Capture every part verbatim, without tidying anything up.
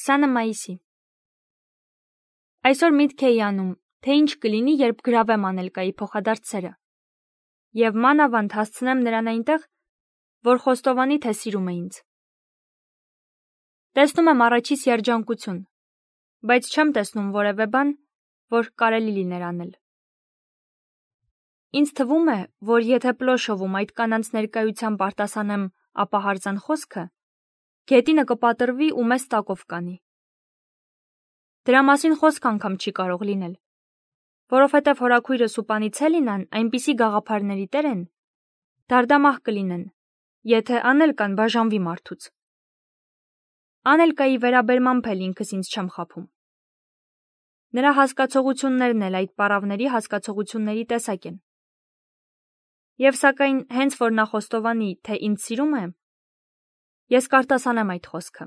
քսանը մայիսի։ Այսօր միտք էի անում, թե ինչ կլինի, երբ գրավեմ Անելկայի փոխադարձ սերը, և մանավանդ հասցնեմ նրան այնտեղ, որ խոստովանի, թե սիրում է ինձ։ Տեսնում եմ առաջիս երջանկություն, բայց չեմ տեսնում որևէ բան, որ կարելի լիներ անել։ Ինձ թվում է, որ եթե Պլոշովում այդ կանանց ներկայությամբ արտասանեմ ապահարզան խոսքը, գետինը կպատրվի ու մեզ տակով կանի։ Դրա մասին խոսք անգամ չի կարող լինել, որովհետև հորաքույրս ու Պանիցելինան այնպիսի գաղափարների տեր են, դարդամահ կլինեն, եթե Անելկան բաժանվի մարդուց։ Անելկայի վերաբերմամբ էլ ինքս ինձ չեմ խաբում։ Նրա հասկացողություններն էլ այդ պառավների հասկացողությունների տեսակ են։ Եվ սակայն հենց որ նա խոստովանի, թե ինձ սիրում է, ես կարտասանեմ այդ խոսքը։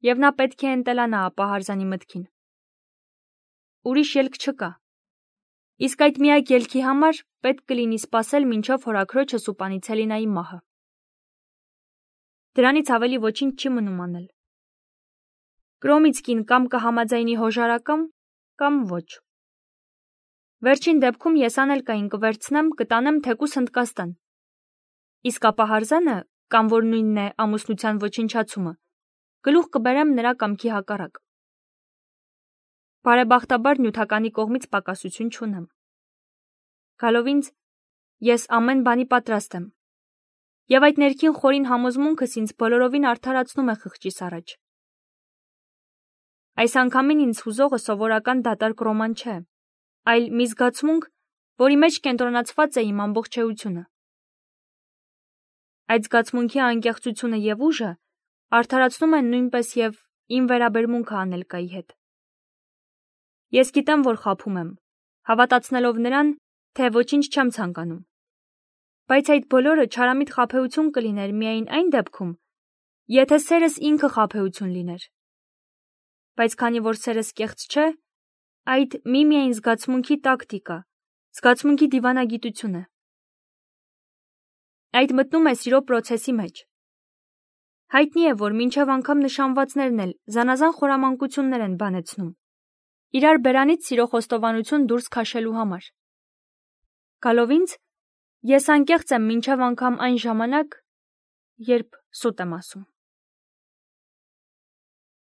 Եվ նա պետք է ընտելանա ապահարզանի մտքին։ Ուրիշ ելք չկա։ Իսկ այդ միակ ելքի համար պետք կլինի սպասել մինչև հորաքրոջս ու Պանիցելինայի մահը։ Դրանից ավելի ոչինչ չի մնում անել։ Կրոմիցկին կամ կհամաձայնի հոժարակամ, կամ ոչ։ Վերջին դեպքում ես Անելկային կվերցնեմ, կտանեմ թեկուս Հնդկաստան։ Իսկ ապահարզանը, կամ որ նույնն է ամուսնության ոչնչացումը, գլուխ կբերեմ նրա կամքի հակառակ։ Բարեբախտաբար նյութականի կողմից պակասություն չունեմ։ Գալով ինձ, ես ամեն բանի պատրաստ եմ։ Եվ այդ ներքին խորին համոզմունքս ինձ բոլորովին արդարացնում է խղճիս առաջ։ Այս անգամին ինձ հուզողը սովորական դատարկ ռոման չէ, այլ մի զգացմունք, որի մեջ կենտրոնացված է իմ ամբողջ էությունը։ Այդ զգացմունքի անկեղծությունը և ուժը արդարացնում են նույնպես և իմ վերաբերմունքը Անելկայի հետ։ Ես գիտեմ, որ խաբում եմ, հավատացնելով նրան, թե ոչինչ չեմ ցանկանում։ Բայց այդ բոլորը չարամիտ խաբեություն կլիներ միայն այն դեպքում, եթե սերս ինքը խաբեություն լիներ։ Բայց քանի որ սերս կեղծ չէ, այդ միմիայն զգացմունքի տակտիկա, զգացմունքի դիվանագիտություն է։ Այդ մտնում է սիրո պրոցեսի մեջ։ Հայտնի է, որ մինչև անգամ նշանվածներն էլ զանազան խորամանկություններ են բանեցնում, իրար բերանից սիրո խոստովանություն դուրս քաշելու համար։ Գալով ինձ, ես անկեղծ եմ մինչև անգամ այն ժամանակ, երբ սուտ եմ ասում։